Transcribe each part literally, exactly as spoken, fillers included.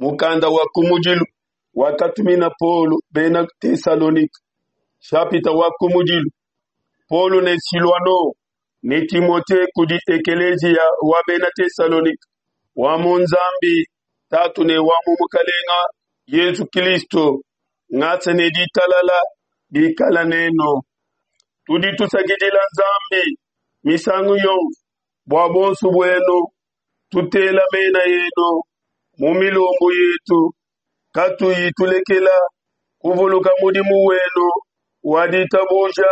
Mukanda wa kumudilu wakatumina Paulo bena Tesalonike, nshapita wa kumudilu. Paulo ne Siluano ne Timote kudi ekeleziya wa bena Tesalonike wa mu Nzambi Tatu ne wa mu Mukalenga Yezu Kilisto, ngasa ne ditalala bikala nenu. Tudi tusakidila Nzambi misangu yonso bua buonso buenu, tutela mena enu mu milombu yetu, katuyi tulekela kuvuluka mudimu wenu wa ditabuja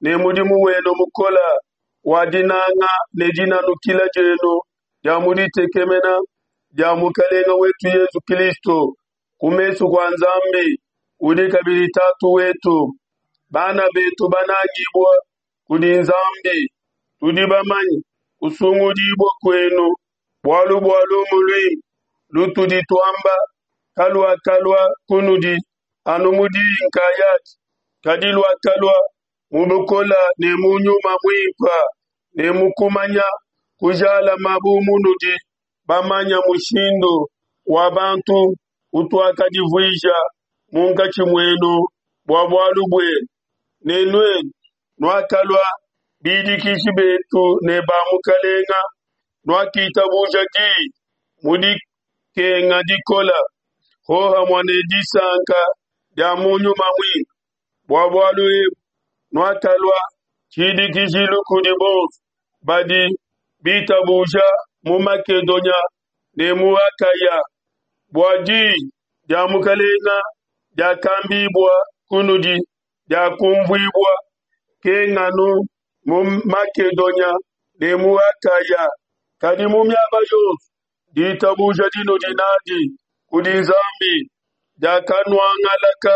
ne mudimu wenu mukola wa dinanga ne dinanukila dienu dia mu ditekemena dia Mukalenge wetu Yezu Kristo ku mesu kua Nzambi udi kabidi Tatu wetu. Bana betu banangibue kudi Nzambi, tudi bamanye kusungudibua kuenu, bualu bua lumu luimpe lutudi tuamba kaluakalua kunudi anu mu diyi nkayadi, kadi luakalua mu bukole ne mu nyuma muimpe ne mu kumanya kujalame bu munudi bamanye mushindu wa bantu utuakadivuija munkatshi muenu bua bualu buenu, ne nuenu nuakalua bidikiji betu ne ba Mukalenge, nuakitabuja diyi mu dikenga dikole hohamue ne disanka dia mu nyuma muimpe. Bua bualu ebu nuakalua tshidikijilu kudi bonso badi bitabuja mu Makedonia ne mu Akaya. Bua diyi dia Mukalenge diakambibua kunudi diakumvuibua, kenganu mu Makedonia ne mu Akaya, kadi mu miaba yonso ditabuja dinudi nadi kudi Nzambi diakamuangalaka.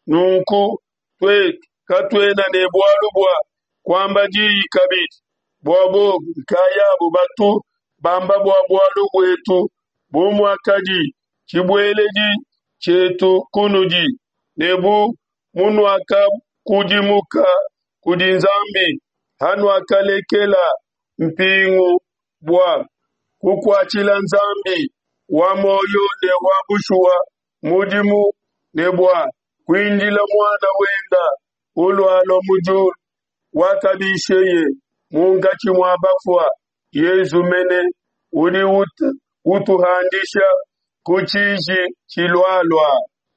Nunku tuetu katuena ne bualu bua kuamba diyi kabidi, bua bobu nkayabu batu bamba bua bualu buetu bu muakadi tshibueledi tshietu kunudi, ne bu munuakudimuka kudi Nzambi, hanuakalekela mpingu bua kukuatshila Nzambi wa muoyo ne wa bushuwa mudimu, ne bua kuindila Muana wende ulualua mu diulu, wakabisheye munkatshi mua bafue, Yesu mene, udi utuhandisha ku tshiji tshilualua.